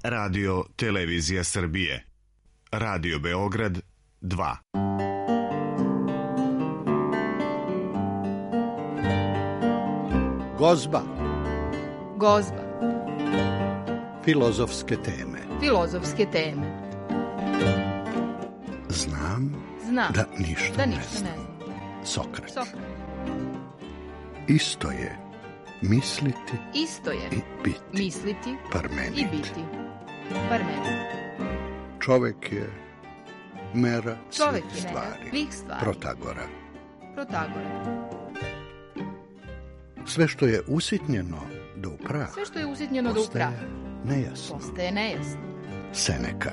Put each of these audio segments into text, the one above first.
Radio Televizija Srbije. Radio Beograd 2. Gozba. Gozba. Filozofske teme. Filozofske teme. Znam da ništa ne znam. Sokrat. Isto je misliti i biti. Misliti Parmenid. i biti. Parmenid. Čovek je mera Čovek svih je mera stvari. svih stvari. Protagora. Sve što je usitnjeno do prah. Sve što je usitnjeno do prah. Postaje nejasno. Seneka.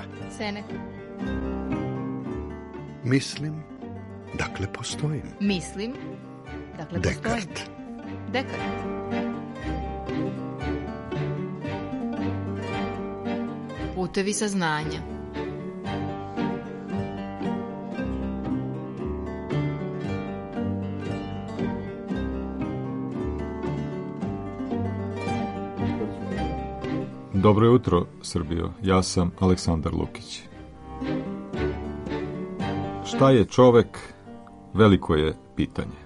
Mislim, dakle postojim. Mislim, dakle postojim. Dekart. Putevi saznanja. Dobro jutro, Srbijo. Ja sam Aleksandar Lukić. Šta je čovek? Veliko je pitanje.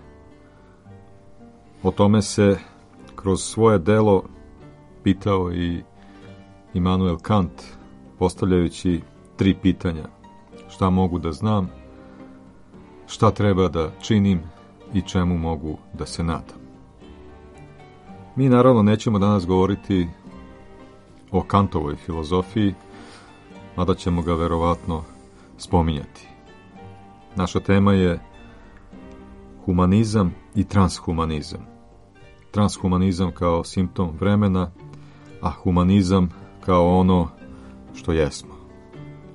O tome se kroz svoje delo pitao i Immanuel Kant, postavljajući 3 pitanja. Šta mogu da znam, šta treba da činim i čemu mogu da se nadam. Mi naravno nećemo danas govoriti o Kantovoj filozofiji, mada ćemo ga verovatno spominjati. Naša tema je humanizam i transhumanizam. Transhumanizam kao simptom vremena, a humanizam kao ono što jesmo.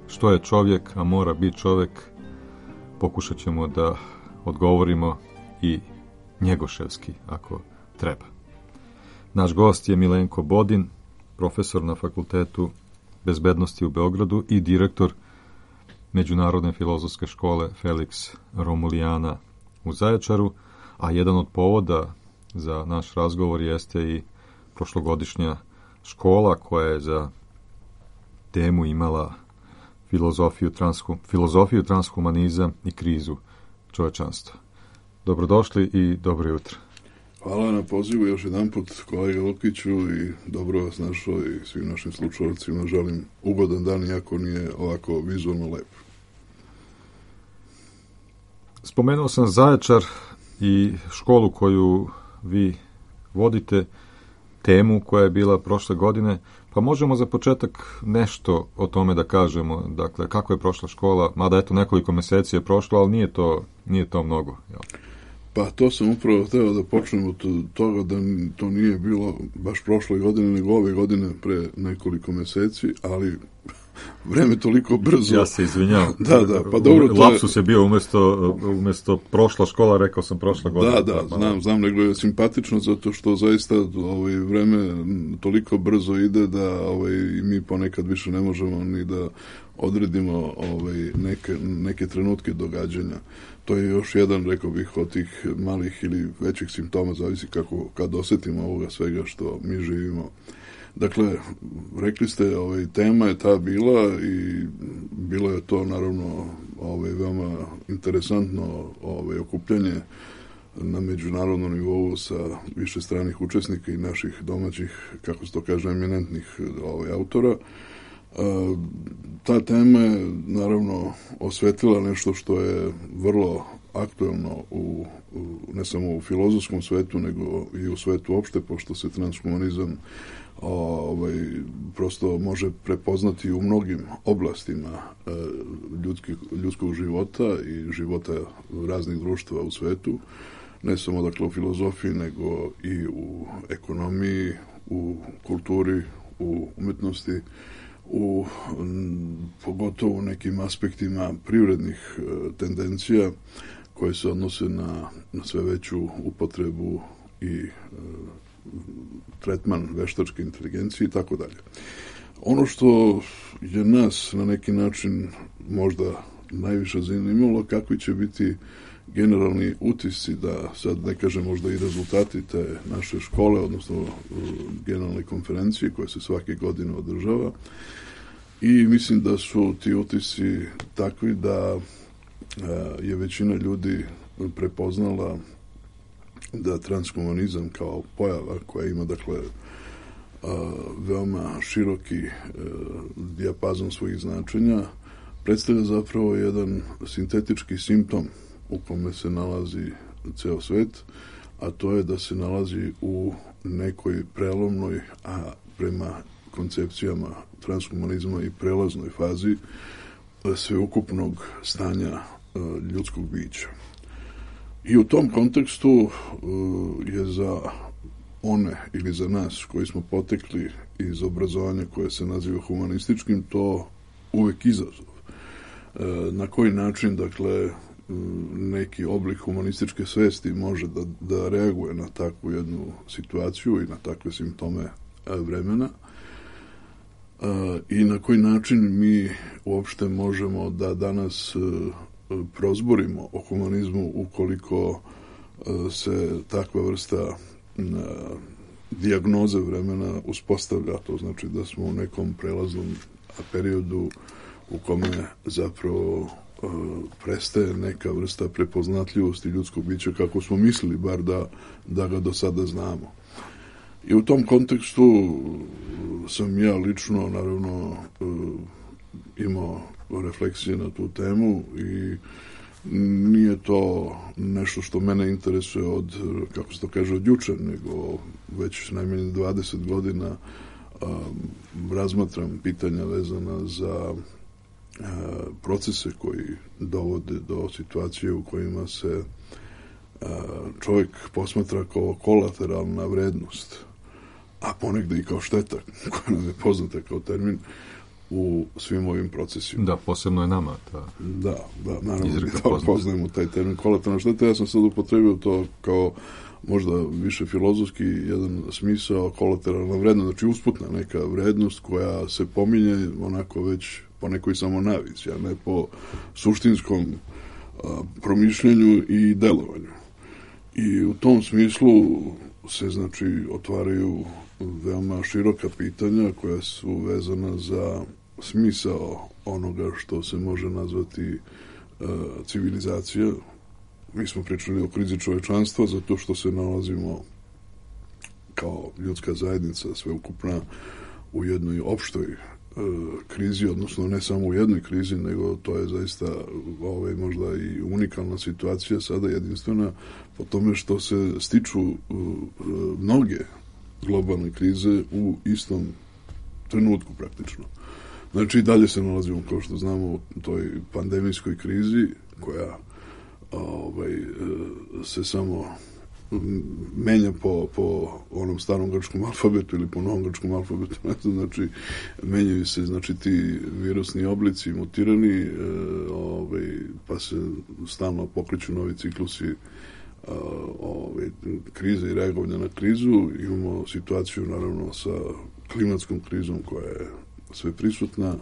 Što je čovjek, a mora biti čovjek, pokušat ćemo da odgovorimo i njegoševski, ako treba. Naš gost je Milenko Bodin, profesor na Fakultetu bezbednosti u Beogradu i direktor Međunarodne filozofske škole Felix Romulijana u Zaječaru, a jedan od povoda za naš razgovor jeste i prošlogodišnja škola koja je za temu imala filozofiju, transhumanizam i krizu čovečanstva. Dobrodošli i dobro jutro. Hvala na pozivu još jedan put, kolega Lukiću, i dobro vas našao i svim našim slušalcima želim ugodan dan, iako nije ovako vizualno lep. Spomenuo sam Zaječar i školu koju vi vodite, temu koja je bila prošle godine, pa možemo za početak nešto o tome da kažemo, dakle, kako je prošla škola, mada eto nekoliko meseci je prošlo, ali nije to mnogo, jel? Pa to sam upravo hteo da počnem od toga da to nije bilo baš prošle godine, nego ove godine pre nekoliko meseci, ali vreme toliko brzo. Ja se izvinjavam. Da, pa dobro. Lapsus je bio umjesto prošla škola, rekao sam prošla godina. Da, znam, nego je simpatično zato što zaista vreme toliko brzo ide da mi ponekad više ne možemo ni da odredimo neke trenutke događanja. To je još jedan, rekao bih, od tih malih ili većih simptoma, zavisi kad osjetimo ovoga svega što mi živimo. Dakle, rekli ste, tema je ta bila i bilo je to naravno veoma interesantno okupljanje na međunarodnom nivou sa više stranih učesnika i naših domaćih, kako se to kaže, eminentnih autora. Ta tema je naravno osvetlila nešto što je vrlo aktuelno ne samo u filozofskom svetu, nego i u svetu opšte, pošto se transhumanizam prosto može prepoznati u mnogim oblastima ljudskog života i života raznih društva u svetu, ne samo dakle u filozofiji, nego i u ekonomiji, u kulturi, u umetnosti, pogotovo u nekim aspektima privrednih tendencija koje se odnose na sve veću upotrebu i tretman veštačke inteligencije i tako dalje. Ono što je nas na neki način možda najviše zanimalo, kakvi će biti generalni utisci, da sad ne kažem možda i rezultati te naše škole, odnosno generalne konferencije koje se svake godine održava. I mislim da su ti utisci takvi da je većina ljudi prepoznala da transhumanizam kao pojava koja ima, dakle, veoma široki dijapazon svojih značenja, predstavlja zapravo jedan sintetički simptom u kome se nalazi ceo svet, a to je da se nalazi u nekoj prelomnoj, a prema koncepcijama transhumanizma i prelaznoj fazi sveukupnog stanja ljudskog bića. I u tom kontekstu je za one ili za nas koji smo potekli iz obrazovanja koje se naziva humanističkim to uvek izazov. Na koji način, dakle, neki oblik humanističke svesti može da reaguje na takvu jednu situaciju i na takve simptome vremena i na koji način mi uopšte možemo da danas prozborimo o humanizmu ukoliko se takva vrsta dijagnoze vremena uspostavlja. To znači da smo u nekom prelaznom periodu u kome zapravo prestaje neka vrsta prepoznatljivosti ljudskog bića kako smo mislili bar da ga do sada znamo. I u tom kontekstu sam ja lično naravno imao refleksije na tu temu i nije to nešto što mene interesuje od, kako se to kaže, od juče, nego već najmanje 20 godina razmatram pitanja vezana za procese koji dovode do situacije u kojima se čovjek posmatra kao kolateralna vrednost, a ponegde i kao šteta, koja nam je poznata kao termin, u svim ovim procesima. Da, posebno je nama. Da, naravno, poznajemo taj termin kolateralna šteta. Ja sam sad upotrebio to kao možda više filozofski jedan smisao, kolateralna vrednost, znači usputna neka vrednost koja se pominje onako već po nekoj samo navici, a ne po suštinskom promišljanju i delovanju. I u tom smislu se, znači, otvaraju veoma široka pitanja koja su vezana za smisao onoga što se može nazvati civilizacija. Mi smo pričali o krizi čovečanstva zato što se nalazimo kao ljudska zajednica sveukupna u jednoj opštoj krizi, odnosno ne samo u jednoj krizi, nego to je zaista možda i unikalna situacija, sada jedinstvena po tome što se stiču mnoge globalne krize u istom trenutku praktično. Znači i dalje se nalazimo, kao što znamo, u toj pandemijskoj krizi koja se samo menja po onom starom grčkom alfabetu ili po novom grčkom alfabetu, znači menjaju se, znači, ti virusni oblici mutirani, pa se stalno pokreću novi ciklusi krize i reagovanja na krizu. Imamo situaciju naravno sa klimatskom krizom koja je sve prisutna.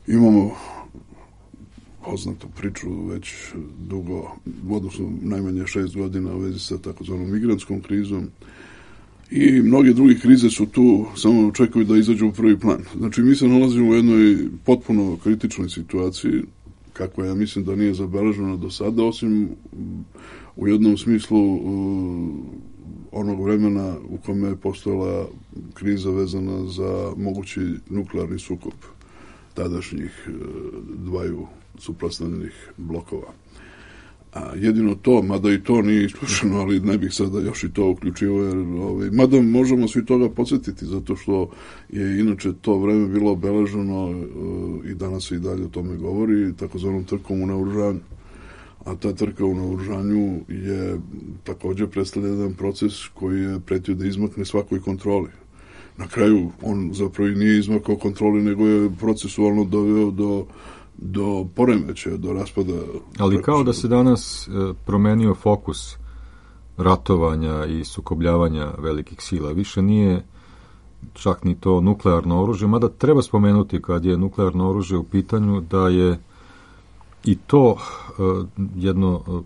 Imamo poznatu priču već dugo, odnosno najmanje 6 godina u vezi sa takozvanom migrantskom krizom i mnoge druge krize su tu, samo očekuju da izađu u prvi plan. Znači mi se nalazimo u jednoj potpuno kritičnoj situaciji, kakva ja mislim da nije zabeležena do sada, osim u jednom smislu onog vremena u kome je postojala kriza vezana za mogući nuklearni sukob tadašnjih dvaju suprotstavljenih blokova. A jedino to, mada i to nije isključeno, ali ne bih sada još i to uključio, jer mada možemo svi toga podsjetiti, zato što je inače to vreme bilo obeleženo i danas se i dalje o tome govori, takozvanom trkom u naoružanju. A ta trka u naoružanju je također predstavlja jedan proces koji je pretio da izmakne svakoj kontroli. Na kraju on zapravo i nije izmakao kontroli, nego je procesualno doveo do poremećaja, do raspada. Ali kao da se danas promenio fokus ratovanja i sukobljavanja velikih sila. Više nije čak ni to nuklearno oružje, mada treba spomenuti kad je nuklearno oružje u pitanju da je i to jedno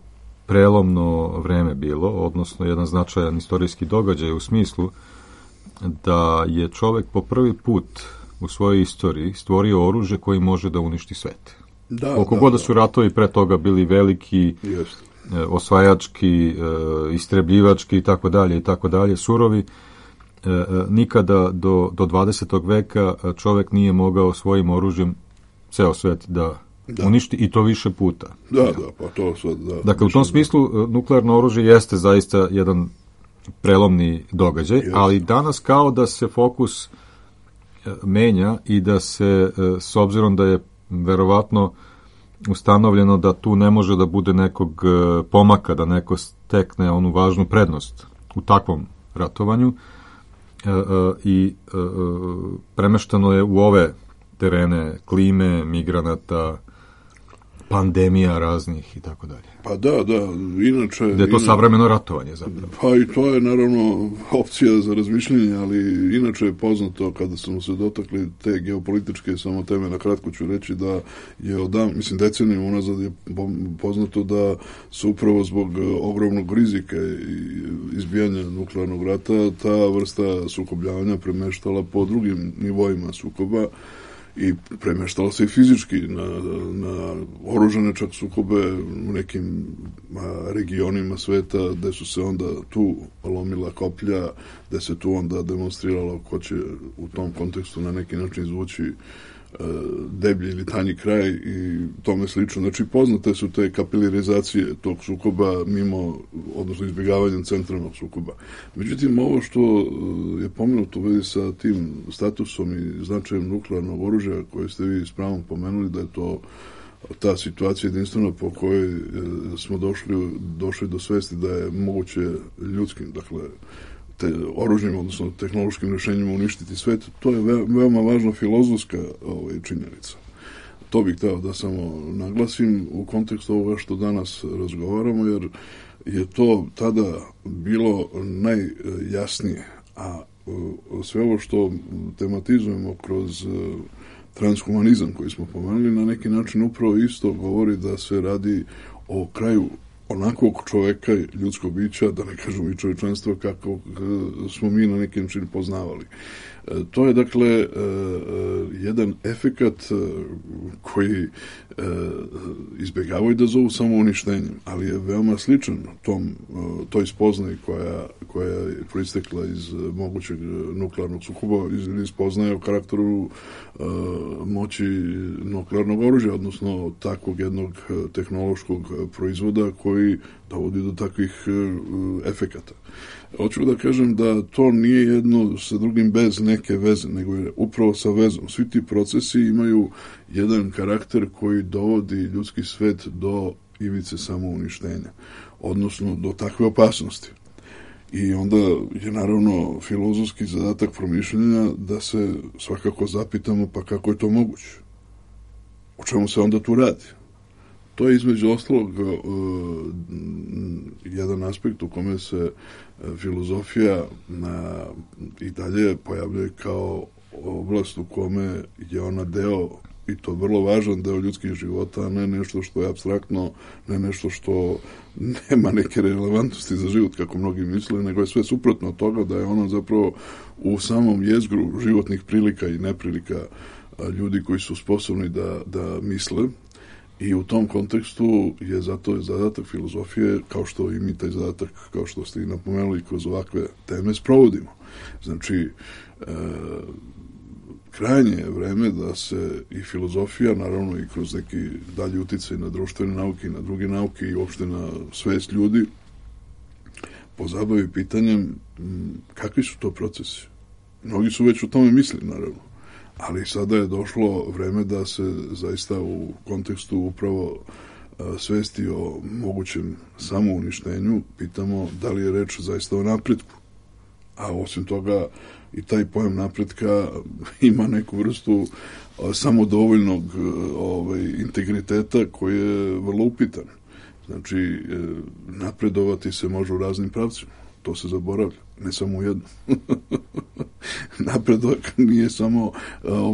prelomno vreme bilo, odnosno jedan značajan istorijski događaj u smislu da je čovek po prvi put u svojoj istoriji stvorio oružje koji može da uništi svet. Koliko god da su ratovi pre toga bili veliki, osvajački, istrebljivački i tako dalje, surovi, nikada do 20. veka čovek nije mogao svojim oružjem ceo svet da uništi i to više puta. Pa to sad, Dakle, u tom smislu nuklearno oružje jeste zaista jedan prelomni događaj, ali danas kao da se fokus menja i da se, s obzirom da je verovatno ustanovljeno da tu ne može da bude nekog pomaka, da neko stekne onu važnu prednost u takvom ratovanju i premeštano je u ove terene klime, migranata, pandemija raznih i tako dalje. Pa da, inače... Da je to savremeno ratovanje zapravo. Pa i to je naravno opcija za razmišljanje, ali inače je poznato kada smo se dotakli te geopolitičke samo teme, na kratko ću reći da je decenijama unazad je poznato da su upravo zbog ogromnog rizika i izbijanja nuklearnog rata ta vrsta sukobljavanja premeštala po drugim nivoima sukoba i premeštalo se i fizički na oružane čak sukobe u nekim regionima sveta gde su se onda tu lomila koplja, gde se tu onda demonstriralo ko će u tom kontekstu na neki način izvući deblji ili tanji kraj i tome slično. Znači, poznate su te kapilarizacije tog sukoba odnosno izbjegavanjem centralnog sukoba. Međutim, ovo što je pomenuto u vezi sa tim statusom i značajem nuklearnog oružja koje ste vi s pravom pomenuli, da je to ta situacija jedinstvena po kojoj smo došli do svesti da je moguće ljudskim, dakle, oružjem, odnosno tehnološkim rješenjima uništiti svet, to je veoma važna filozofska činjenica. To bih hteo da samo naglasim u kontekstu ovoga što danas razgovaramo, jer je to tada bilo najjasnije, a sve ovo što tematizujemo kroz transhumanizam koji smo pomenuli, na neki način upravo isto govori da se radi o kraju onakvog čoveka, ljudskog bića, da ne kažem i čovječanstva, kako smo mi na neki način poznavali. To je, dakle, jedan efekat koji izbjegavaju da zovu samouništenjem, ali je veoma sličan toj spoznaji koja je proistekla iz mogućeg nuklearnog sukoba ili spoznaje o karakteru moći nuklearnog oružja, odnosno takvog jednog tehnološkog proizvoda koji dovodi do takvih efekata. Hoću da kažem da to nije jedno sa drugim bez neke veze, nego je upravo sa vezom. Svi ti procesi imaju jedan karakter koji dovodi ljudski svet do ivice samouništenja, odnosno do takve opasnosti. I onda je naravno filozofski zadatak promišljanja da se svakako zapitamo pa kako je to moguće. O čemu se onda tu radi? To je između ostalog jedan aspekt u kome se filozofija i dalje pojavljuje kao oblast u kome je ona deo, i to vrlo važan deo ljudskih života, a ne nešto što je apstraktno, ne nešto što nema neke relevantnosti za život, kako mnogi misle, nego je sve suprotno od toga, da je ono zapravo u samom jezgru životnih prilika i neprilika ljudi koji su sposobni da misle. I u tom kontekstu je zato zadatak filozofije, kao što i mi taj zadatak, kao što ste i napomenuli, kroz ovakve teme sprovodimo. Znači, krajnje je vreme da se i filozofija, naravno i kroz neki dalji uticaj na društvene nauke i na druge nauke i uopšte na svest ljudi, pozabavi pitanjem kakvi su to procesi. Mnogi su već o tome mislili, naravno. Ali sada je došlo vreme da se zaista u kontekstu upravo svesti o mogućem samouništenju pitamo da li je reč zaista o napretku. A osim toga i taj pojam napretka ima neku vrstu samodovoljnog integriteta koji je vrlo upitan. Znači, napredovati se može u raznim pravcima. To se zaboravlja, ne samo u jednom. Napredak nije samo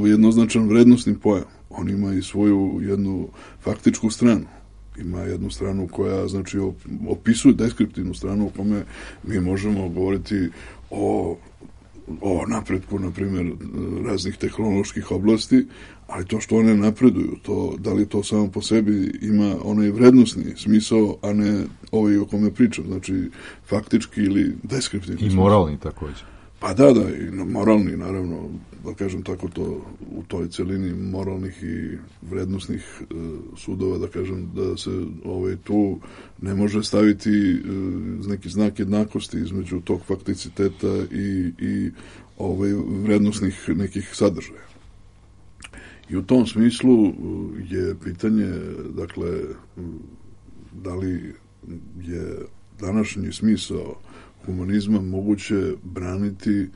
jednoznačan vrednostni pojam. On ima i svoju jednu faktičku stranu. ima jednu stranu koja, znači, opisuje deskriptivnu stranu u kome mi možemo govoriti o napretku, na primjer, raznih tehnoloških oblasti, ali to što one napreduju, da li to samo po sebi ima onaj vrednostni smisao, a ne ovaj o kome pričam, znači faktički ili deskriptivni smisao. I moralni također. Pa da, i moralni, naravno, da kažem tako, to u toj celini moralnih i vrednostnih sudova, da kažem, da se tu ne može staviti neki znak jednakosti između tog fakticiteta i vrednostnih nekih sadržaja. I u tom smislu je pitanje, dakle, da li je današnji smisao humanizma moguće braniti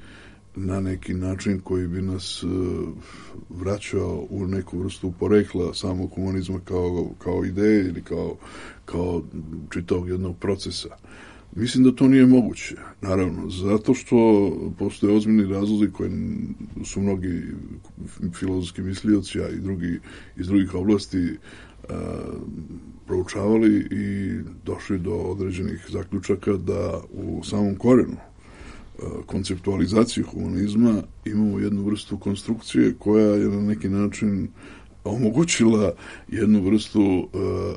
na neki način koji bi nas vraćao u neku vrstu porekla samog humanizma kao ideje ili kao čitavog jednog procesa. Mislim da to nije moguće, naravno, zato što postoje ozbiljni razlozi koji su mnogi filozofski mislioci, a i drugi iz drugih oblasti proučavali i došli do određenih zaključaka da u samom korenu konceptualizacije humanizma imamo jednu vrstu konstrukcije koja je na neki način omogućila jednu vrstu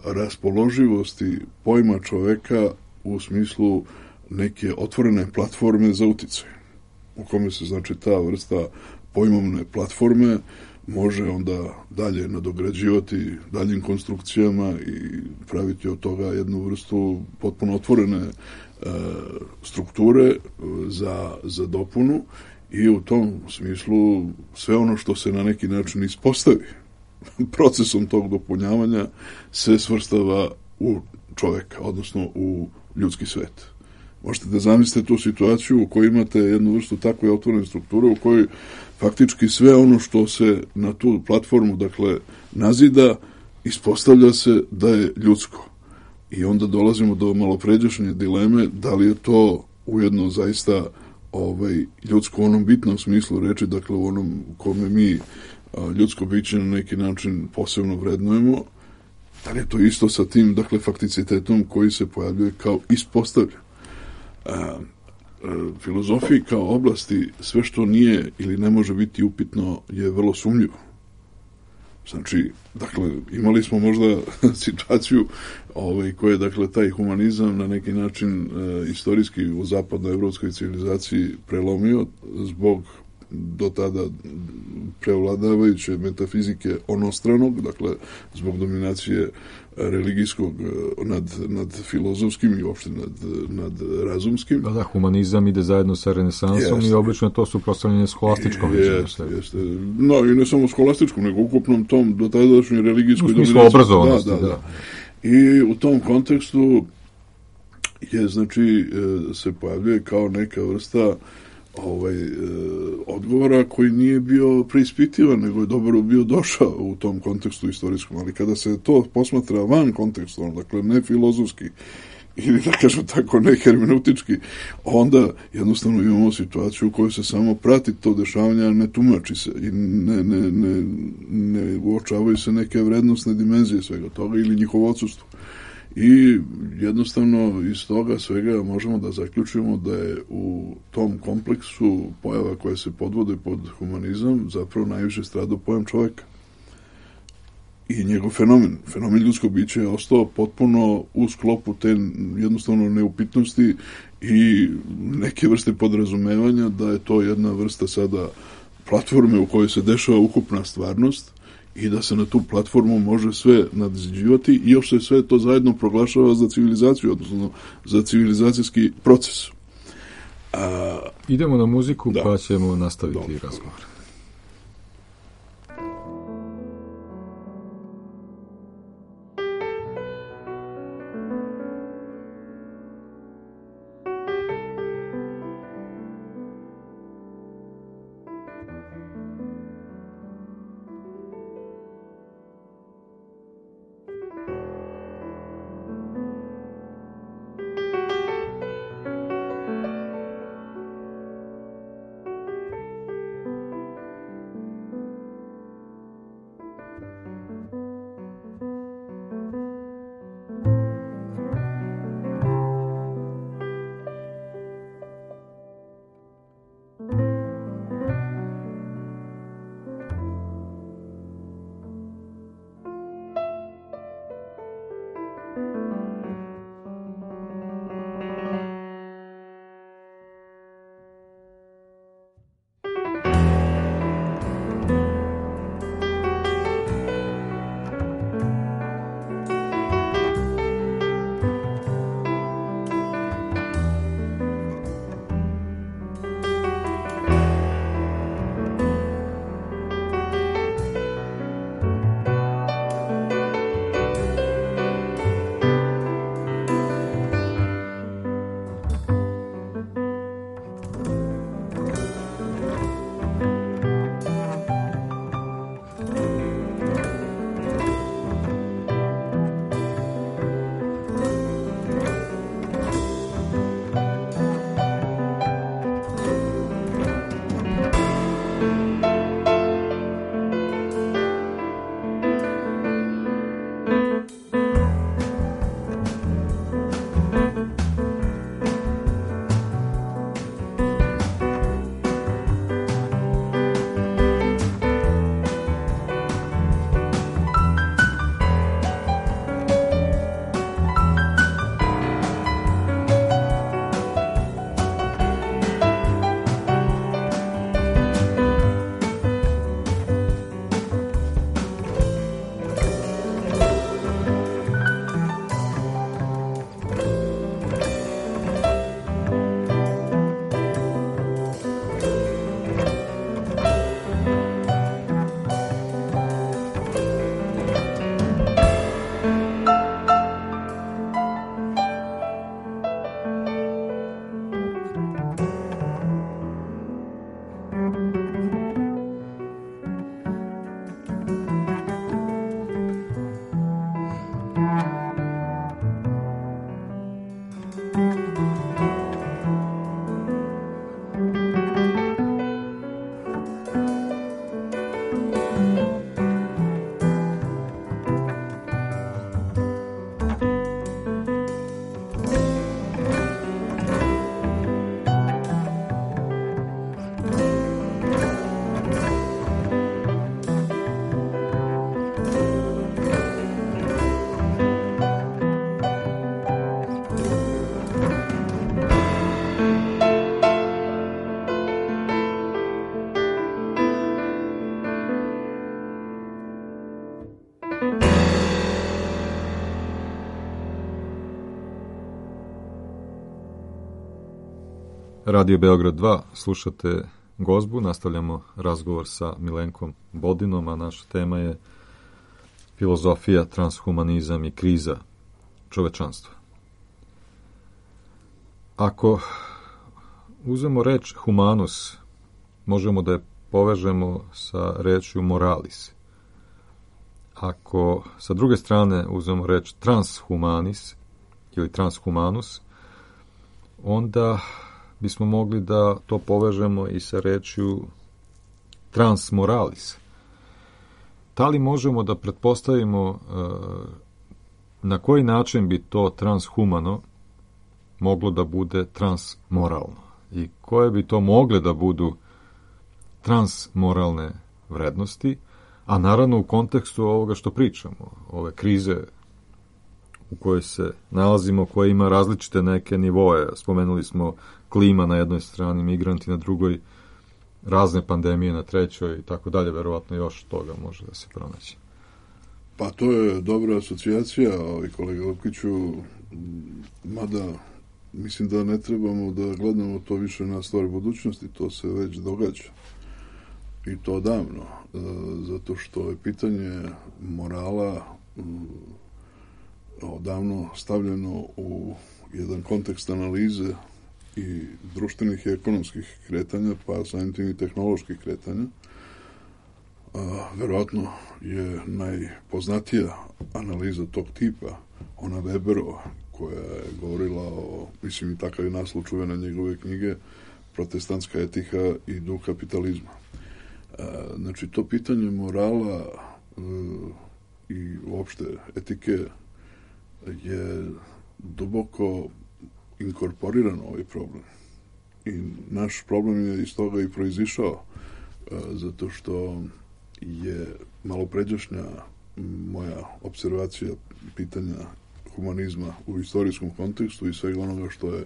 raspoloživosti pojma čoveka u smislu neke otvorene platforme za uticaj, u kome se, znači, ta vrsta pojmovne platforme može onda dalje nadograđivati daljim konstrukcijama i praviti od toga jednu vrstu potpuno otvorene strukture za dopunu i u tom smislu sve ono što se na neki način ispostavi procesom tog dopunjavanja se svrstava u čoveka, odnosno u ljudski svet. Možete da zamislite tu situaciju u kojoj imate jednu vrstu takve otvorene strukture u kojoj faktički sve ono što se na tu platformu, dakle, nazida, ispostavlja se da je ljudsko. I onda dolazimo do malopređašnje dileme da li je to ujedno zaista ljudsko u onom bitnom smislu reči, dakle u onom kome mi ljudsko biće na neki način posebno vrednujemo, da li je to isto sa tim, dakle, fakticitetom koji se pojavljuje kao ispostavljen. Filozofiji kao oblasti sve što nije ili ne može biti upitno je vrlo sumnjivo. Znači, dakle, imali smo možda situaciju koja, dakle, taj humanizam na neki način istorijski u zapadnoevropskoj civilizaciji prelomio zbog do tada prevladavajuće metafizike onostranog, dakle, zbog dominacije religijskog nad filozofskim i uopšte nad razumskim. Da, humanizam ide zajedno sa renesansom i obično to su prostavljene scholastičkom. Jeste. No, i ne samo scholastičkom, nego ukupnom tom do tadašnjoj religijskoj dominaciji. U smislu obrazovanosti, da. I u tom kontekstu je, znači, se pojavljuje kao neka vrsta odgovora koji nije bio preispitivan, nego je dobro bio došao u tom kontekstu istorijskom, ali kada se to posmatra van kontekstu, dakle ne filozofski ili, da kažem tako, ne hermeneutički, onda jednostavno imamo situaciju u kojoj se samo prati to dešavanje, ne tumači se i ne uočavaju se neke vrednostne dimenzije svega toga ili njihovo odsustvo. I jednostavno iz toga svega možemo da zaključimo da je u tom kompleksu pojava koje se podvode pod humanizam zapravo najviše stradao pojam čoveka. I njegov fenomen ljudskog bića je ostao potpuno u sklopu te jednostavno neupitnosti i neke vrste podrazumevanja da je to jedna vrsta sada platforme u kojoj se dešava ukupna stvarnost i da se na tu platformu može sve nadiđivati i još se sve to zajedno proglašava za civilizaciju, odnosno za civilizacijski proces. Idemo na muziku, pa ćemo nastaviti razgovor. Radio Beograd 2, slušate Gozbu, nastavljamo razgovor sa Milenkom Bodinom, a naša tema je filozofija, transhumanizam i kriza čovečanstva. Ako uzmemo reč humanus, možemo da je povežemo sa rečju moralis. Ako sa druge strane uzmemo reč transhumanis ili transhumanus, onda bismo mogli da to povežemo i sa rečju transmoralis. Da li možemo da pretpostavimo na koji način bi to transhumano moglo da bude transmoralno i koje bi to mogle da budu transmoralne vrednosti, a naravno u kontekstu ovoga što pričamo, ove krize u kojoj se nalazimo, koja ima različite neke nivoe. Spomenuli smo klima na jednoj strani, migranti na drugoj, razne pandemije na trećoj i tako dalje, verovatno još toga može da se pronaći. Pa to je dobra asocijacija, kolega Lupkiću, mada mislim da ne trebamo da gledamo to više na stvar budućnosti, to se već događa. I to davno, zato što je pitanje morala odavno stavljeno u jedan kontekst analize i društvenih i ekonomskih kretanja, pa samim tim i tehnoloških kretanja. Verovatno je najpoznatija analiza tog tipa ona Weberova, koja je govorila o, mislim i takav je naslov čuvene njegove knjige, Protestantska etika i duh kapitalizma. Znači, to pitanje morala i uopšte etike je duboko inkorporirano ovaj problem. I naš problem je iz toga i proizišao, zato što je malopređašnja moja observacija pitanja humanizma u istorijskom kontekstu i svega onoga što je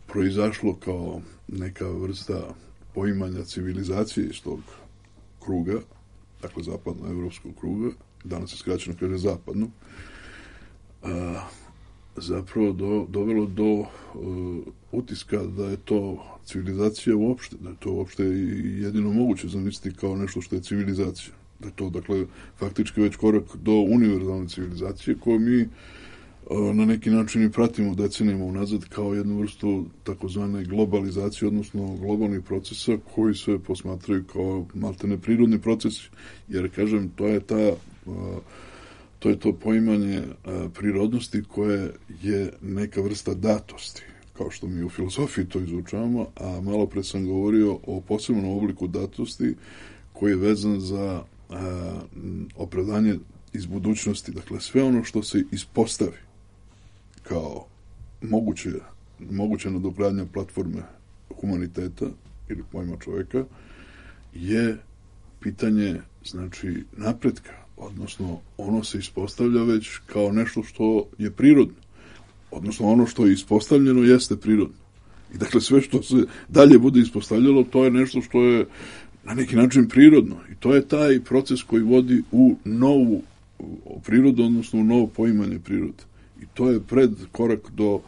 proizašlo kao neka vrsta poimanja civilizacije iz tog kruga, dakle zapadno-evropskog kruga, danas se skraćeno kaže zapadno, zapravo dovelo do utiska da je to civilizacija uopšte, da je to uopšte jedino moguće zamisliti kao nešto što je civilizacija. Da je to, dakle, faktički već korak do univerzalne civilizacije koju mi na neki način i pratimo decenijama unazad kao jednu vrstu takozvane globalizacije, odnosno globalnih procesa koji se posmatraju kao maltene prirodni procesi. Jer, kažem, to je to poimanje prirodnosti koje je neka vrsta datosti, kao što mi u filozofiji to izučavamo, a malo pre sam govorio o posebnom obliku datosti koji je vezan za opravdanje iz budućnosti. Dakle, sve ono što se ispostavi kao moguća nadogradnja platforme humaniteta ili pojma čoveka je pitanje, znači, napretka, odnosno ono se ispostavlja već kao nešto što je prirodno, odnosno ono što je ispostavljeno jeste prirodno. I dakle sve što se dalje bude ispostavljalo, to je nešto što je na neki način prirodno. I to je taj proces koji vodi u novu prirodu, odnosno u novo poimanje prirode. I to je pred korak do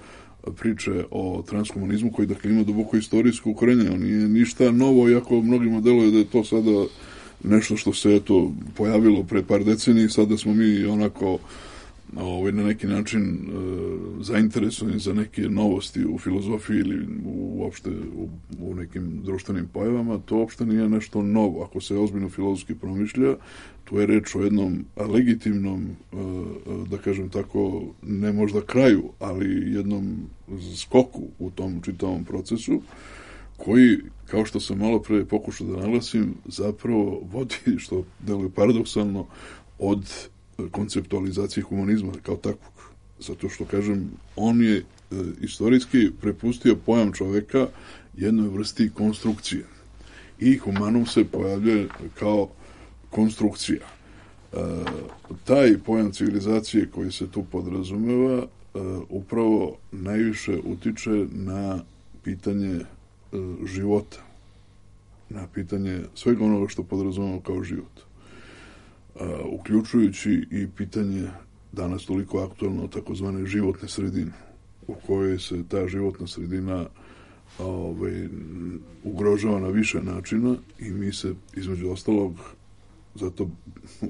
priče o transhumanizmu koji dakle ima duboko istorijsko ukorenje. On nije ništa novo, iako mnogima deluje da je to sada nešto što se eto pojavilo pre par decenija i sada smo mi onako na neki način zainteresovani za neke novosti u filozofiji ili uopšte u nekim društvenim pojavama. To uopšte nije nešto novo. Ako se ozbiljno filozofski promišlja, tu je reč o jednom legitimnom, da kažem tako, ne možda kraju, ali jednom skoku u tom čitavom procesu, koji, kao što sam malo pre pokušao da naglasim, zapravo vodi, što deluje paradoksalno, od konceptualizacije humanizma kao takvog. Zato što, kažem, on je istorijski prepustio pojam čoveka jednoj vrsti konstrukcije. I humanum se pojavljuje kao konstrukcija. Taj pojam civilizacije koji se tu podrazumeva upravo najviše utiče na pitanje života, na pitanje svega onoga što podrazumemo kao život. Uključujući i pitanje danas toliko aktualno takozvane životne sredine, u kojoj se ta životna sredina ugrožava na više načina i mi se, između ostalog, zato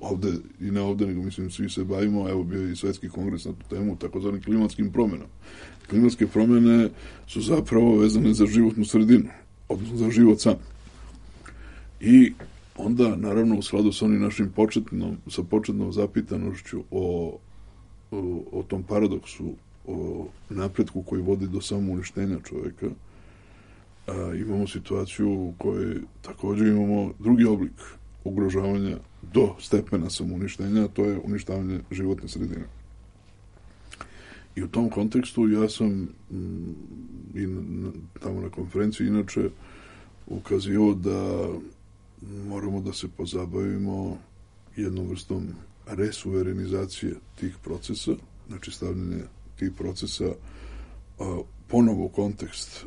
ovde i ne ovde, nego mislim svi se bavimo, evo bio je i svetski kongres na tu temu, takozvanim klimatskim promenama. Klimatske promene su zapravo vezane za životnu sredinu, odnosno za život sam. I onda, naravno, u skladu sa onim našim početnom zapitanošću o tom paradoksu, o napretku koji vodi do samouništenja čoveka, imamo situaciju u kojoj također imamo drugi oblik ugrožavanja do stepena samouništenja, a to je uništavanje životne sredine. I u tom kontekstu ja sam i tamo na konferenciji inače ukazio da moramo da se pozabavimo jednom vrstom resuverenizacije tih procesa, znači stavljanje tih procesa ponovo u kontekst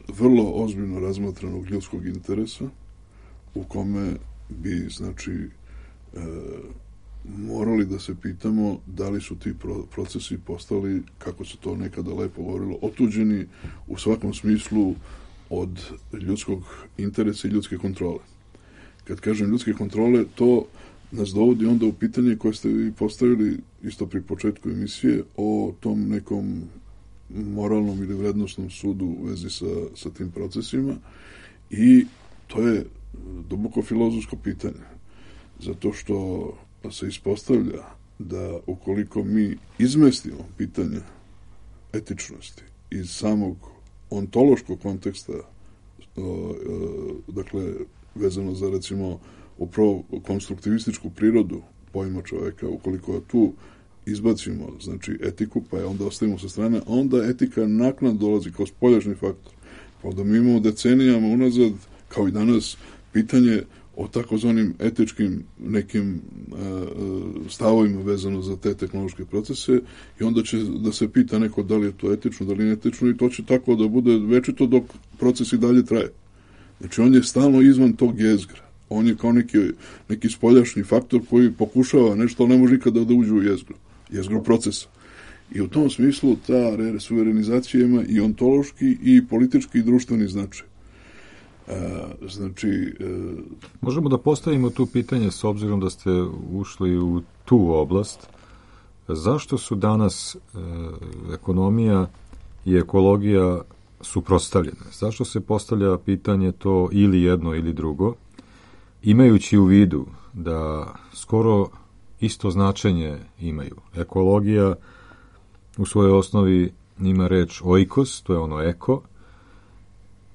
vrlo ozbiljno razmatranog ljudskog interesa, u kome bi, znači, morali da se pitamo da li su ti procesi postali, kako se to nekada lepo govorilo, otuđeni u svakom smislu od ljudskog interesa i ljudske kontrole. Kad kažem ljudske kontrole, to nas dovodi onda u pitanje koje ste vi postavili isto pri početku emisije o tom nekom moralnom ili vrednostnom sudu u vezi sa tim procesima, i to je duboko filozofsko pitanje, zato što se ispostavlja da ukoliko mi izmestimo pitanje etičnosti iz samog ontološkog konteksta, dakle vezano za, recimo, upravo konstruktivističku prirodu pojma čoveka, ukoliko tu izbacimo, znači, etiku, pa je onda ostavimo sa strane, onda etika naknadno dolazi kao spoljašnji faktor. Pa onda mi imamo decenijama unazad, kao i danas, pitanje o takozvanim etičkim nekim stavovima vezano za te tehnološke procese, i onda će da se pita neko da li je to etično, da li je etično, i to će tako da bude večito dok proces i dalje traje. Znači, on je stalno izvan tog jezgra. On je kao neki spoljašnji faktor koji pokušava nešto, ali ne može nikada da uđe u jezgro procesa. I u tom smislu ta resuverenizacija ima i ontološki i politički i društveni značaj. Možemo da postavimo tu pitanje, s obzirom da ste ušli u tu oblast, zašto su danas ekonomija i ekologija suprotstavljene? Zašto se postavlja pitanje to ili jedno ili drugo, imajući u vidu da skoro isto značenje imaju? Ekologija u svojoj osnovi ima reč oikos, to je ono eko.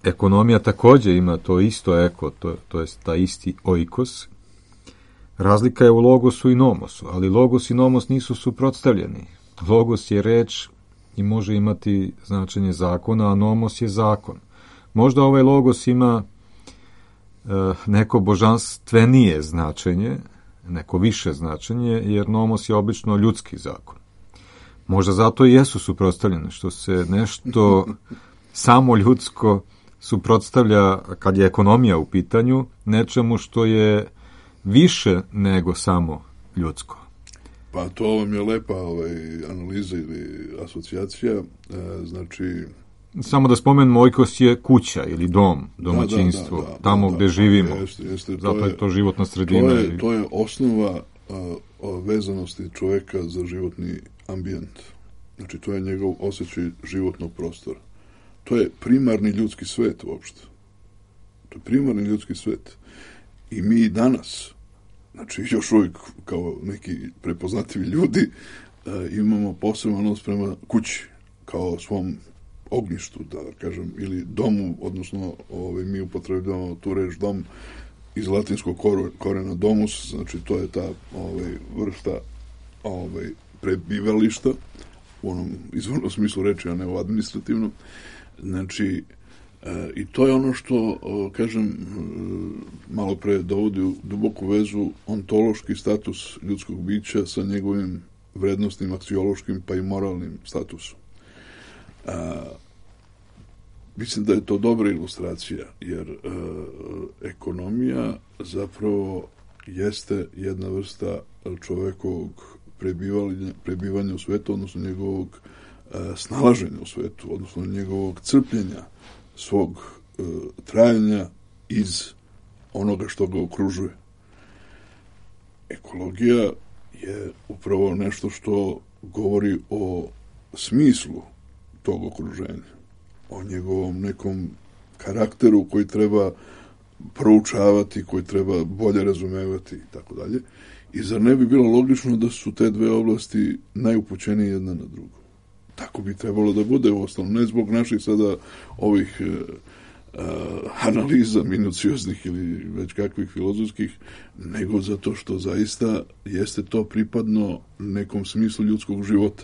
Ekonomija također ima to isto eko, to je ta isti oikos. Razlika je u logosu i nomosu, ali logos i nomos nisu suprotstavljeni. Logos je reč i može imati značenje zakona, a nomos je zakon. Možda ovaj logos ima neko božanstvenije značenje, neko više značenje, jer nomos je obično ljudski zakon. Možda zato i jesu suprotstavljene, što se nešto samo ljudsko suprotstavlja, kad je ekonomija u pitanju, nečemu što je više nego samo ljudsko. Pa to vam je lepa analiza ili asocijacija, znači... Samo da spomenemo, oikos je kuća ili dom, domaćinstvo, tamo gde živimo. Jeste, zato je to životna sredina. To je osnova vezanosti čoveka za životni ambijent. Znači, to je njegov osjećaj životnog prostora. To je primarni ljudski svet uopšte. To je primarni ljudski svet. I mi danas, znači još uvijek kao neki prepoznatljivi ljudi, imamo poseban odnos prema kući, kao svom ognjištu, da kažem, ili domu, odnosno mi upotrebljavamo tu reč dom iz latinskog korena domus, znači to je ta vrsta prebivališta u onom izvornom smislu reči, a ne u administrativnom. Znači, i to je ono što, kažem, malo pre dovodi u duboku vezu ontološki status ljudskog bića sa njegovim vrednostnim, aksiološkim pa i moralnim statusom. Mislim da je to dobra ilustracija, jer ekonomija zapravo jeste jedna vrsta čovekovog prebivanja u svetu, odnosno njegovog snalaženja u svetu, odnosno njegovog crpljenja, svog trajanja iz onoga što ga okružuje. Ekologija je upravo nešto što govori o smislu tog okruženja, o njegovom nekom karakteru koji treba proučavati, koji treba bolje razumevati i tako dalje. I zar ne bi bilo logično da su te dve oblasti najupućenije jedna na drugu? Tako bi trebalo da bude, uostalom, ne zbog naših sada ovih analiza minucioznih ili već kakvih filozofskih, nego zato što zaista jeste to pripadno nekom smislu ljudskog života.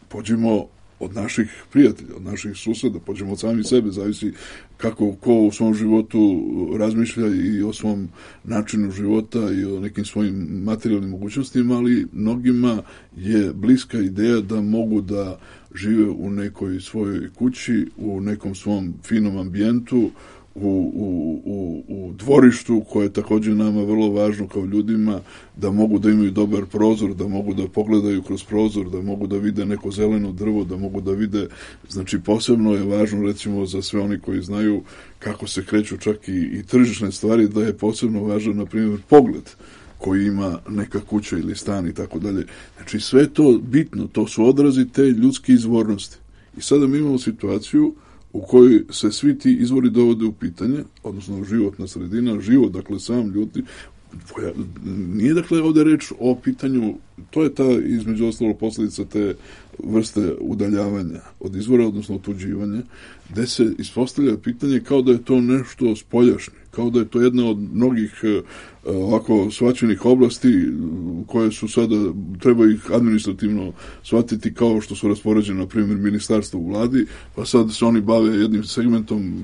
Pođimo od naših prijatelja, od naših suseda, pođemo od sami sebe, zavisi kako ko u svom životu razmišlja i o svom načinu života i o nekim svojim materijalnim mogućnostima, ali mnogima je bliska ideja da mogu da žive u nekoj svojoj kući, u nekom svom finom ambijentu, u dvorištu, koje je također nama vrlo važno kao ljudima, da mogu da imaju dobar prozor, da mogu da pogledaju kroz prozor, da mogu da vide neko zeleno drvo, da mogu da vide, znači posebno je važno recimo za sve oni koji znaju kako se kreću čak i tržišne stvari, da je posebno važan na primjer pogled koji ima neka kuća ili stan i tako dalje. Znači sve to bitno, to su odrazi te ljudske izvornosti. I sada mi imamo situaciju u kojoj se svi ti izvori dovode u pitanje, odnosno životna sredina, život, dakle sam ljudi, nije dakle ovdje reč o pitanju, to je ta između ostalog posljedica te vrste udaljavanja od izvora, odnosno otuđivanja, gde se ispostavlja pitanje kao da je to nešto spoljašnje, kao da je to jedna od mnogih ovako shvaćenih oblasti koje su sada, treba ih administrativno shvatiti kao što su raspoređene, na primjer, ministarstvo u vladi, pa sad se oni bave jednim segmentom.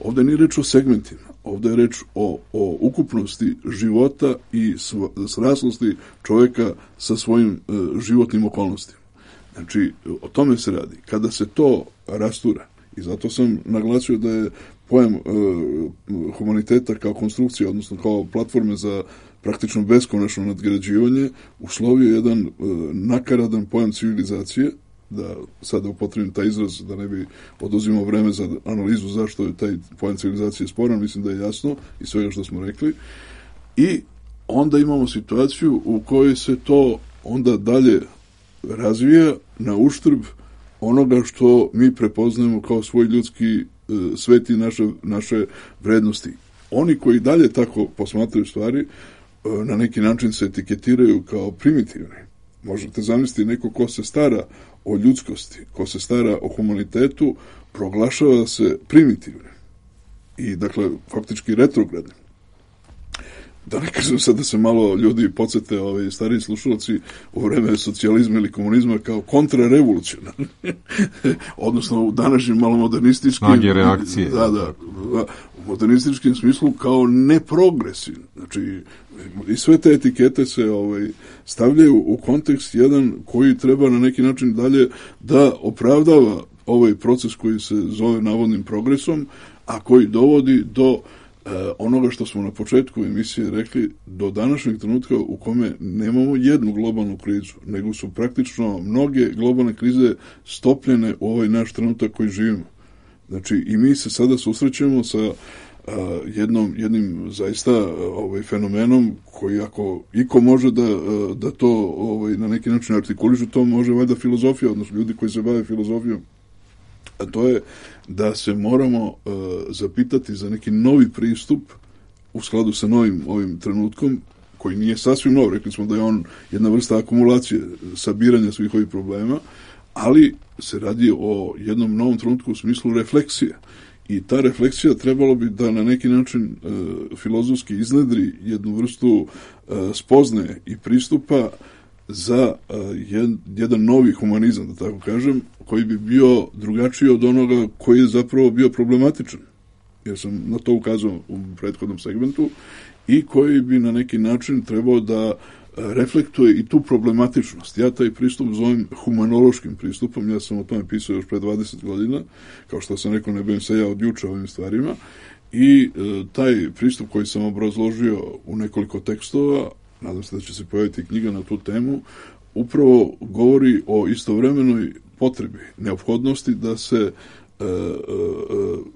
Ovdje nije reč o segmentima, ovdje je reč o ukupnosti života i sraslosti čovjeka sa svojim životnim okolnostima. Znači, o tome se radi. Kada se to rastura, i zato sam naglasio da je pojam humaniteta kao konstrukcija, odnosno kao platforme za praktično beskonačno nadgrađivanje, uslovio jedan nakaradan pojam civilizacije, da sada upotrebim taj izraz, da ne bi oduzimao vreme za analizu zašto je taj pojam civilizacije sporan, mislim da je jasno i svega što smo rekli. I onda imamo situaciju u kojoj se to onda dalje razvija na uštrb onoga što mi prepoznajemo kao svoj ljudski svet i naše vrednosti. Oni koji dalje tako posmatraju stvari, na neki način se etiketiraju kao primitivni. Možete zamisliti neko ko se stara o ljudskosti, ko se stara o humanitetu, proglašava se primitivnim. I dakle, faktički retrogradnim. Da ne kažem sad da se malo ljudi podsjete, stariji slušalci, u vreme socijalizma ili komunizma kao kontrarevolucionarni. Odnosno u današnjim malo modernističkim... Snage reakcije. Da, u modernističkim smislu kao neprogresivni. Znači, i sve te etikete se stavljaju u kontekst jedan koji treba na neki način dalje da opravdava ovaj proces koji se zove navodnim progresom, a koji dovodi do onoga što smo na početku emisije rekli, do današnjeg trenutka u kome nemamo jednu globalnu krizu, nego su praktično mnoge globalne krize stopljene u ovaj naš trenutak koji živimo. Znači, i mi se sada susrećemo sa jednim zaista fenomenom koji ako iko može da to na neki način artikulišu, to može valjda filozofija, odnosno ljudi koji se bave filozofijom. A to je da se moramo zapitati za neki novi pristup u skladu sa novim ovim trenutkom, koji nije sasvim nov, rekli smo da je on jedna vrsta akumulacije, sabiranja svih ovih problema, ali se radi o jednom novom trenutku u smislu refleksije. I ta refleksija trebalo bi da na neki način filozofski iznedri jednu vrstu spoznaje i pristupa za jedan novi humanizam, da tako kažem, koji bi bio drugačiji od onoga koji je zapravo bio problematičan. Jer sam na to ukazao u prethodnom segmentu, i koji bi na neki način trebao da reflektuje i tu problematičnost. Ja taj pristup zovem humanološkim pristupom, ja sam o tome pisao još pre 20 godina, kao što sam rekao, ne bavim se ja od juče ovim stvarima, i taj pristup koji sam obrazložio u nekoliko tekstova, nadam se da će se pojaviti knjiga na tu temu, upravo govori o istovremenoj potrebi, neophodnosti da se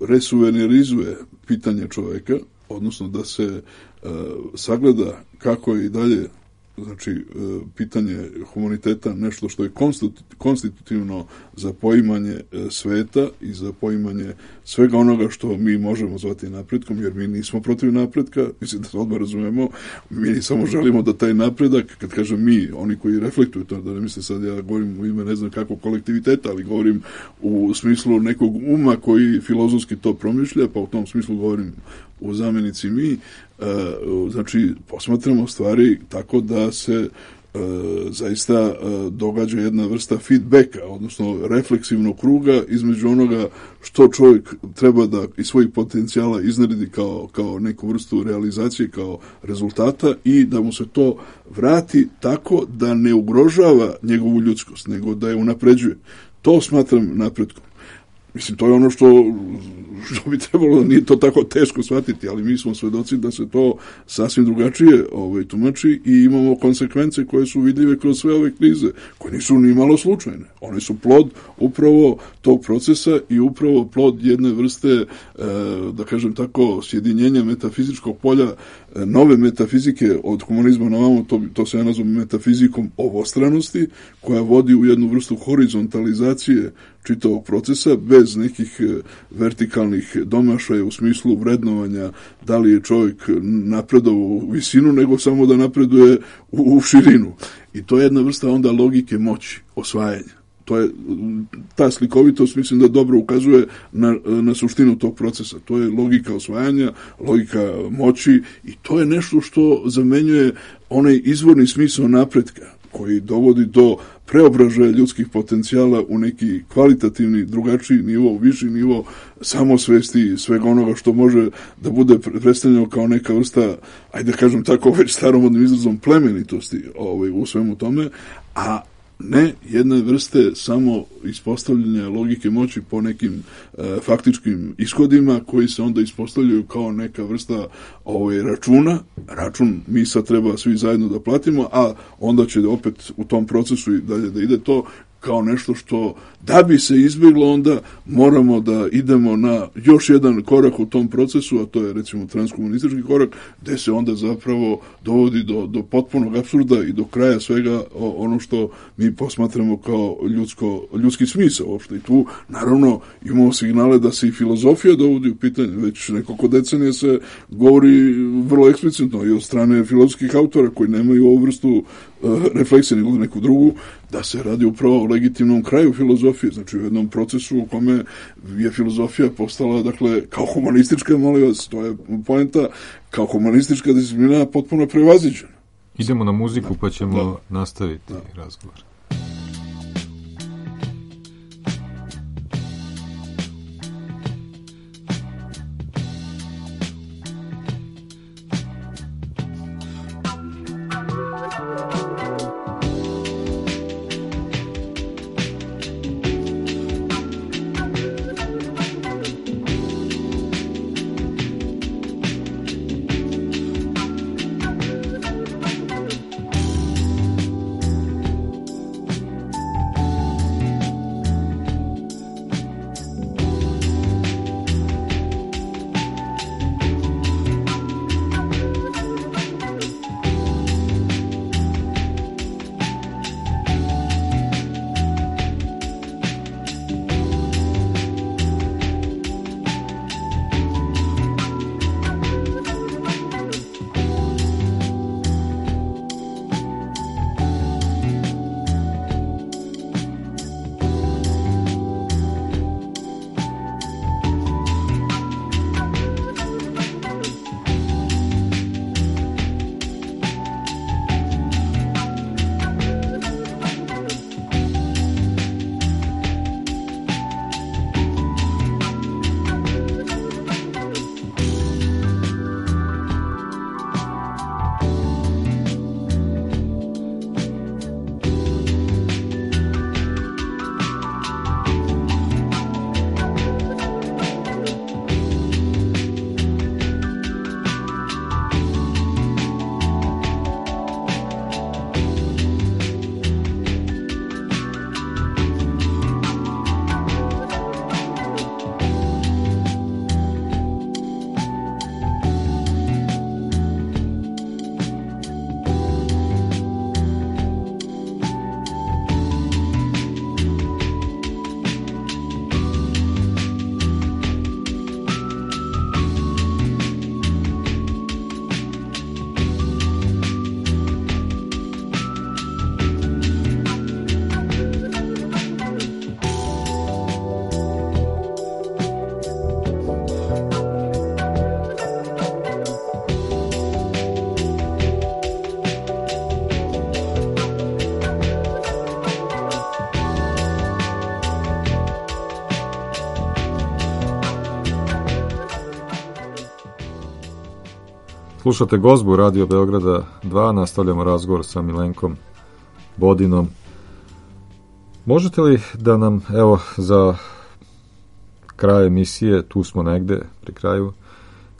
resuvenerizuje pitanje čoveka, odnosno da se sagleda kako je i dalje, znači, pitanje humaniteta nešto što je konstitutivno za poimanje sveta i za poimanje svega onoga što mi možemo zvati napretkom, jer mi nismo protiv napretka, mislim da se odmah razumemo, mi samo želimo da taj napredak, kad kažem mi, oni koji reflektuju to, da ne misle sad ja govorim u ime ne znam kakvog kolektiviteta, ali govorim u smislu nekog uma koji filozofski to promišlja, pa u tom smislu govorim u zamenici mi, znači posmatramo stvari tako da se zaista događa jedna vrsta feedbacka, odnosno refleksivnog kruga između onoga što čovjek treba da iz svojih potencijala iznaredi kao neku vrstu realizacije, kao rezultata, i da mu se to vrati tako da ne ugrožava njegovu ljudskost, nego da je unapređuje. To smatram napretkom. Mislim, to je ono što bi trebalo, nije to tako teško shvatiti, ali mi smo svedoci da se to sasvim drugačije tumači i imamo konsekvence koje su vidljive kroz sve ove krize, koje nisu ni malo slučajne. One su plod upravo tog procesa i upravo plod jedne vrste, da kažem tako, sjedinjenja metafizičkog polja, nove metafizike od humanizma na ovamo, to se ja nazvam metafizikom ovostranosti, koja vodi u jednu vrstu horizontalizacije čitavog procesa, bez nekih vertikalnih domašaja u smislu vrednovanja da li je čovjek napredovao u visinu, nego samo da napreduje u širinu. I to je jedna vrsta onda logike moći, osvajanja. To je, ta slikovitost mislim da dobro ukazuje na suštinu tog procesa. To je logika osvajanja, logika moći, i to je nešto što zamenjuje onaj izvorni smisao napretka koji dovodi do preobražaja ljudskih potencijala u neki kvalitativni, drugačiji nivo, viši nivo samosvesti, svega onoga što može da bude predstavljeno kao neka vrsta, ajde kažem tako već staromodnim izrazom, plemenitosti u svemu tome, a ne jedne vrste samo ispostavljanja logike moći po nekim faktičkim ishodima koji se onda ispostavljaju kao neka vrsta računa. Račun mi sad treba svi zajedno da platimo, a onda će opet u tom procesu i dalje da ide to kao nešto što, da bi se izbjeglo, onda moramo da idemo na još jedan korak u tom procesu, a to je recimo transhumanistički korak, gde se onda zapravo dovodi do potpunog apsurda i do kraja svega ono što mi posmatramo kao ljudski smisao uopšte. I tu naravno imamo signale da se i filozofija dovodi u pitanje. Već nekoliko decenija se govori vrlo eksplicitno i od strane filozofskih autora koji nemaju ovu vrstu refleksije nego neku drugu, da se radi upravo o legitimnom kraju filozofije, znači u jednom procesu u kome je filozofija postala, dakle, kao humanistička, molim vas, to je poenta, kao humanistička disciplina potpuno prevaziđena. Idemo na muziku pa ćemo nastaviti razgovor. Slušate Gozbu Radio Beograda 2, nastavljamo razgovor sa Milenkom Bodinom. Možete li da nam, evo, za kraj emisije, tu smo negde pri kraju,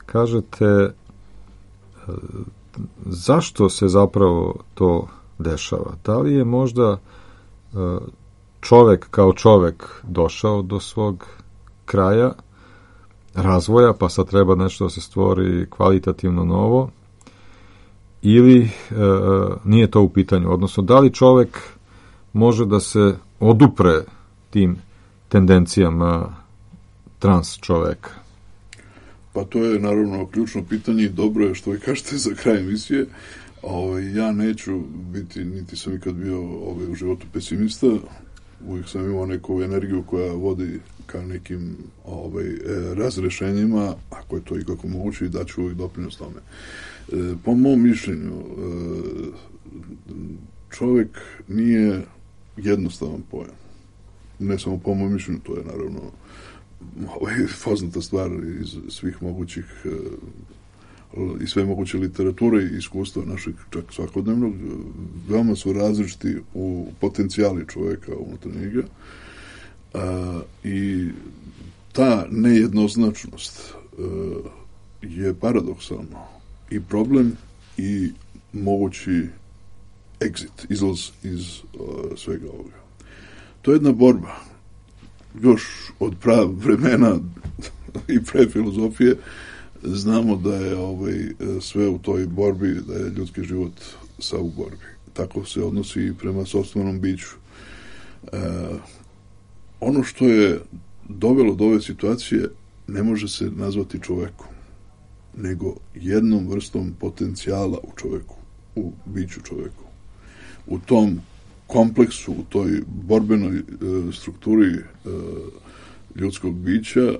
kažete zašto se zapravo to dešava? Da li je možda čovek kao čovek došao do svog kraja razvoja, pa sad treba nešto da se stvori kvalitativno novo, ili nije to u pitanju? Odnosno, da li čovek može da se odupre tim tendencijama trans čoveka? Pa to je naravno ključno pitanje i dobro je što vi kažete za kraj emisije. Ja neću biti, niti sam ikad bio u životu pesimista, uvijek sam imao neku energiju koja vodi ka nekim razrešenjima, ako je to ikako moguće, i daću uvijek doprinos tome. Po mom mišljenju, čovjek nije jednostavan pojam. Ne samo po mom mišljenju, to je naravno poznata stvar iz svih mogućih i sve moguće literature i iskustva našeg čak svakodnevnog. Veoma su različiti u potencijali čovjeka unutar njega i ta nejednoznačnost je paradoksalno i problem i mogući exit, izlaz iz svega ovoga. To je jedna borba. Još od vremena i pre filozofije znamo da je sve u toj borbi, da je ljudski život sav u borbi. Tako se odnosi i prema sopstvenom biću. Ono što je dovelo do ove situacije ne može se nazvati čovekom, nego jednom vrstom potencijala u čoveku, u biću čoveku. U tom kompleksu, u toj borbenoj strukturi ljudskog bića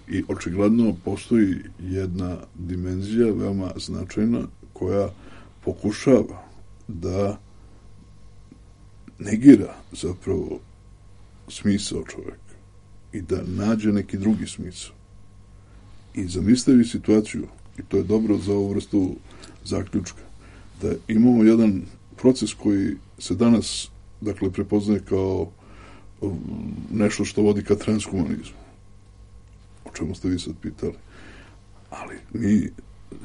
i očigledno postoji jedna dimenzija veoma značajna koja pokušava da negira zapravo smisao čoveka i da nađe neki drugi smisao. I zamislite situaciju, i to je dobro za ovu vrstu zaključka, da imamo jedan proces koji se danas, dakle, prepoznaje kao nešto što vodi ka transhumanizmu. O čemu ste vi sad pitali. Ali mi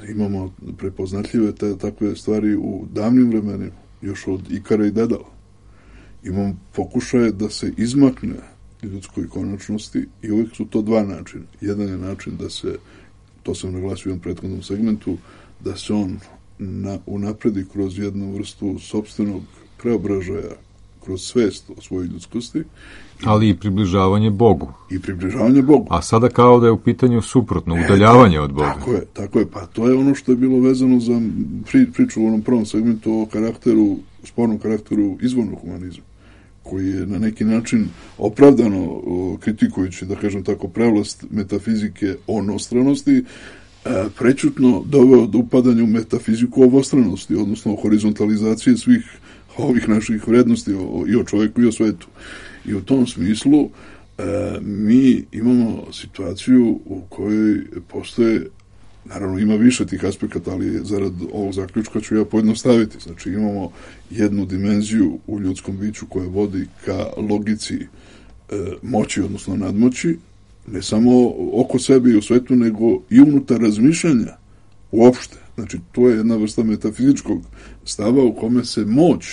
imamo prepoznatljive takve stvari u davnim vremenima, još od Ikara i Dedala. Imamo pokušaje da se izmakne ljudskoj konačnosti i uvijek su to dva načina. Jedan je način da se, to sam naglasio u jednom prethodnom segmentu, da se on unapredi kroz jednu vrstu sopstvenog preobražaja, kroz svest o svojoj ljudskosti. Ali i približavanje Bogu. I približavanje Bogu. A sada kao da je u pitanju suprotno, udaljavanje od Boga. Tako je. Pa to je ono što je bilo vezano za priču u onom prvom segmentu o karakteru, spornom karakteru izvornog humanizma, koji je na neki način opravdano kritikujući, da kažem tako, prevlast metafizike onostranosti, prečutno doveo do upadanja u metafiziku obostranosti, odnosno horizontalizacije svih ovih naših vrednosti i o čovjeku i o svetu. I u tom smislu mi imamo situaciju u kojoj postoje, naravno ima više tih aspekata, ali zarad ovog zaključka ću ja pojednostaviti. Znači imamo jednu dimenziju u ljudskom biću koja vodi ka logici moći, odnosno nadmoći, ne samo oko sebe i u svetu, nego i unutar razmišljanja uopšte. Znači, to je jedna vrsta metafizičkog stava u kome se moć,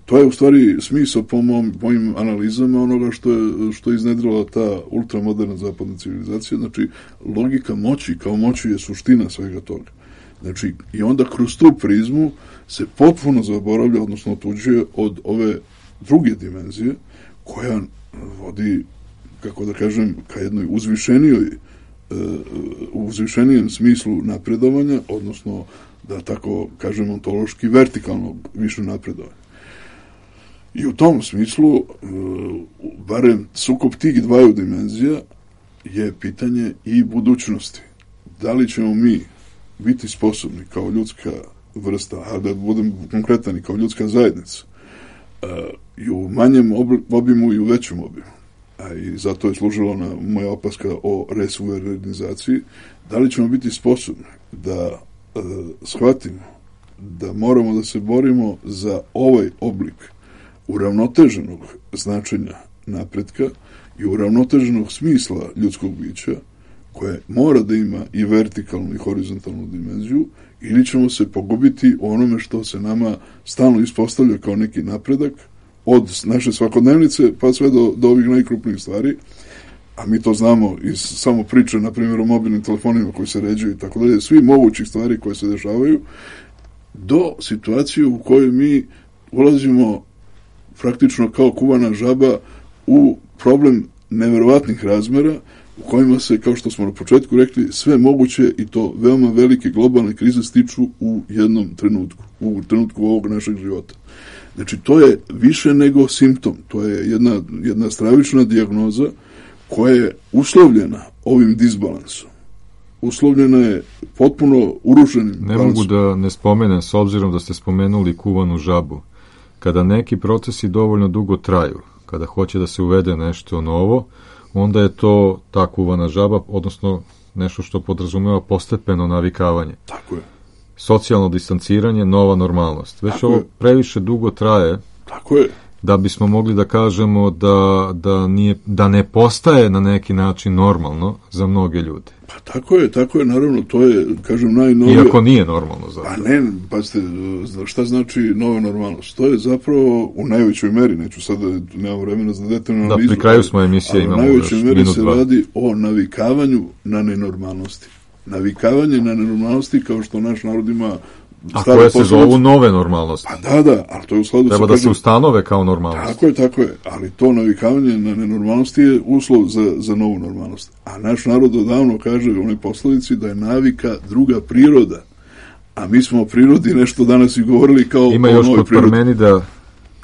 to je u stvari smisao po mojim analizama onoga što je iznedrila ta ultramoderna zapadna civilizacija. Znači, logika moći kao moći je suština svega toga. Znači, i onda kroz tu prizmu se potpuno zaboravlja, odnosno otuđuje od ove druge dimenzije koja vodi, kako da kažem, ka jednoj uzvišenijem smislu napredovanja, odnosno, da tako kažem, ontološki vertikalnog više napredovanja. I u tom smislu, barem sukob tih dvaju dimenzija je pitanje i budućnosti. Da li ćemo mi biti sposobni kao ljudska vrsta, a da budem konkretan i kao ljudska zajednica, i u manjem obimu i u većem obimu, a i zato je služila moja opaska o resuverenizaciji, da li ćemo biti sposobni da shvatimo da moramo da se borimo za ovaj oblik uravnoteženog značenja napretka i uravnoteženog smisla ljudskog bića, koje mora da ima i vertikalnu i horizontalnu dimenziju, ili ćemo se pogubiti u onome što se nama stalno ispostavlja kao neki napredak, od naše svakodnevnice pa sve do ovih najkrupnijih stvari, a mi to znamo iz samo priče, na primjer, o mobilnim telefonima koji se ređuju i tako dalje, svi mogućih stvari koje se dešavaju, do situacije u kojoj mi ulazimo praktično kao kuvana žaba u problem neverovatnih razmera, u kojima se, kao što smo na početku rekli, sve moguće i to veoma velike globalne krize stiču u jednom trenutku, u trenutku ovog našeg života. Znači, to je više nego simptom, to je jedna stravična dijagnoza koja je uslovljena ovim disbalansom. Uslovljena je potpuno urušenim balansom. Ne mogu da ne spomenem, s obzirom da ste spomenuli kuvanu žabu. Kada neki procesi dovoljno dugo traju, kada hoće da se uvede nešto novo, onda je to ta kuvana žaba, odnosno nešto što podrazumeva postepeno navikavanje. Tako je. Socijalno distanciranje, nova normalnost. Već tako ovo je. Previše dugo traje. Tako je. Da bismo mogli da kažemo da ne postaje na neki način normalno za mnoge ljude. Pa tako je, naravno, to je, kažem, najnovije... Iako nije normalno za. Pa ne, pazite, šta znači nova normalnost? To je zapravo u najvećoj meri, neću sada, nemam vremena za detaljnu analizu. Da, pri kraju smo emisije, imamo još minut, dva. U najvećoj meri se radi o navikavanju na nenormalnosti. Navikavanje na nenormalnosti, kao što naš narod ima... A koje se zovu nove normalnosti. Pa da, ali to je u skladu treba da se ustanove kao normalnost. Tako je, ali to navikavanje na nenormalnosti je uslov za novu normalnost. A naš narod odavno kaže u onoj poslovici da je navika druga priroda. A mi smo o prirodi nešto danas i govorili kao ima još kod Parmenida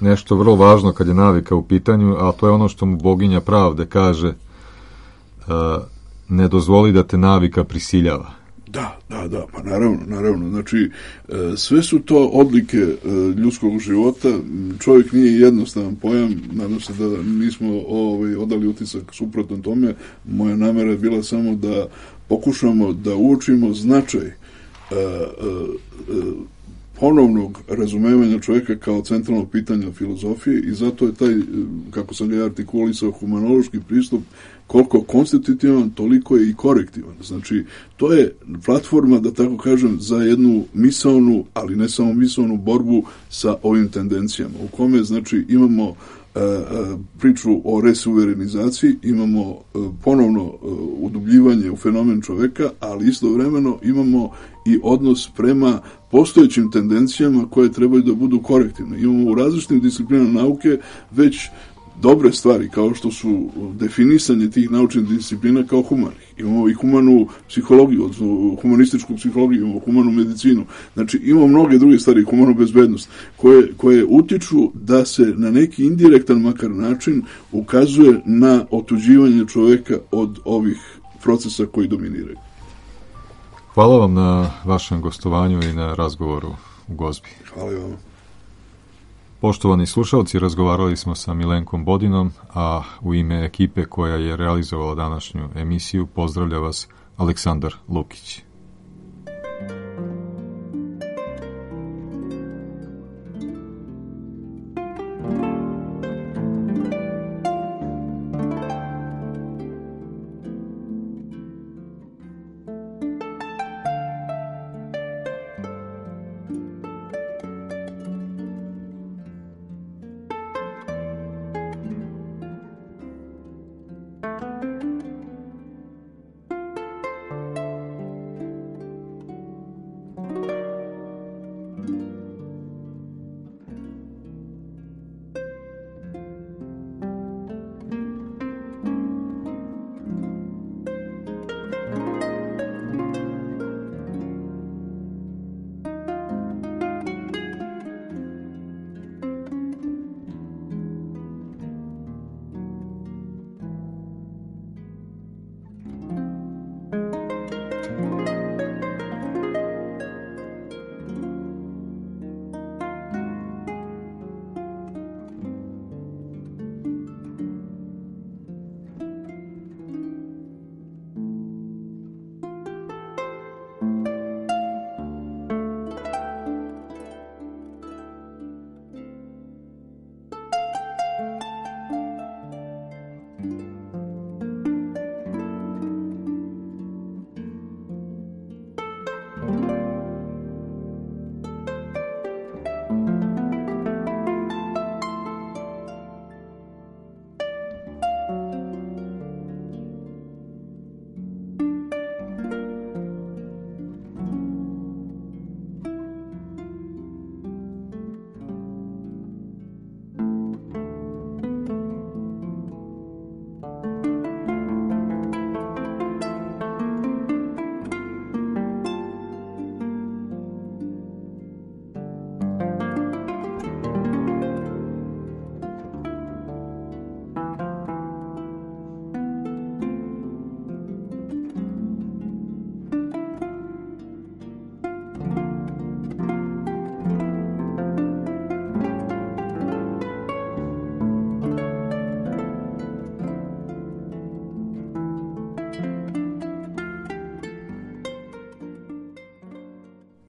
nešto vrlo važno kad je navika u pitanju, a to je ono što mu boginja pravde kaže, ne dozvoli da te navika prisiljava. Da, pa naravno, znači sve su to odlike ljudskog života, čovjek nije jednostavan pojam, nadam se da nismo odali utisak suprotno tome, moja namera je bila samo da pokušamo da uočimo značaj ponovnog razumevanja čovjeka kao centralnog pitanja filozofije i zato je taj, kako sam ga artikulisao, humanološki pristup koliko konstitutivan, toliko je i korektivan. Znači, to je platforma, da tako kažem, za jednu misaonu, ali ne samo misaonu borbu sa ovim tendencijama, u kome, znači, imamo priču o resuverenizaciji, imamo ponovno udubljivanje u fenomen čoveka, ali istovremeno imamo i odnos prema postojećim tendencijama koje trebaju da budu korektivne. Imamo u različitim disciplinama nauke već dobre stvari, kao što su definisanje tih naučnih disciplina kao humanih. Imamo i humanu psihologiju, odnosno humanističku psihologiju, imamo humanu medicinu. Znači, imamo mnoge druge stvari, humanu bezbednost, koje utiču da se na neki indirektan makar način ukazuje na otuđivanje čoveka od ovih procesa koji dominiraju. Hvala vam na vašem gostovanju i na razgovoru u Gozbi. Hvala vam. Poštovani slušalci, razgovarali smo sa Milenkom Bodinom, a u ime ekipe koja je realizovala današnju emisiju pozdravlja vas Aleksandar Lukić.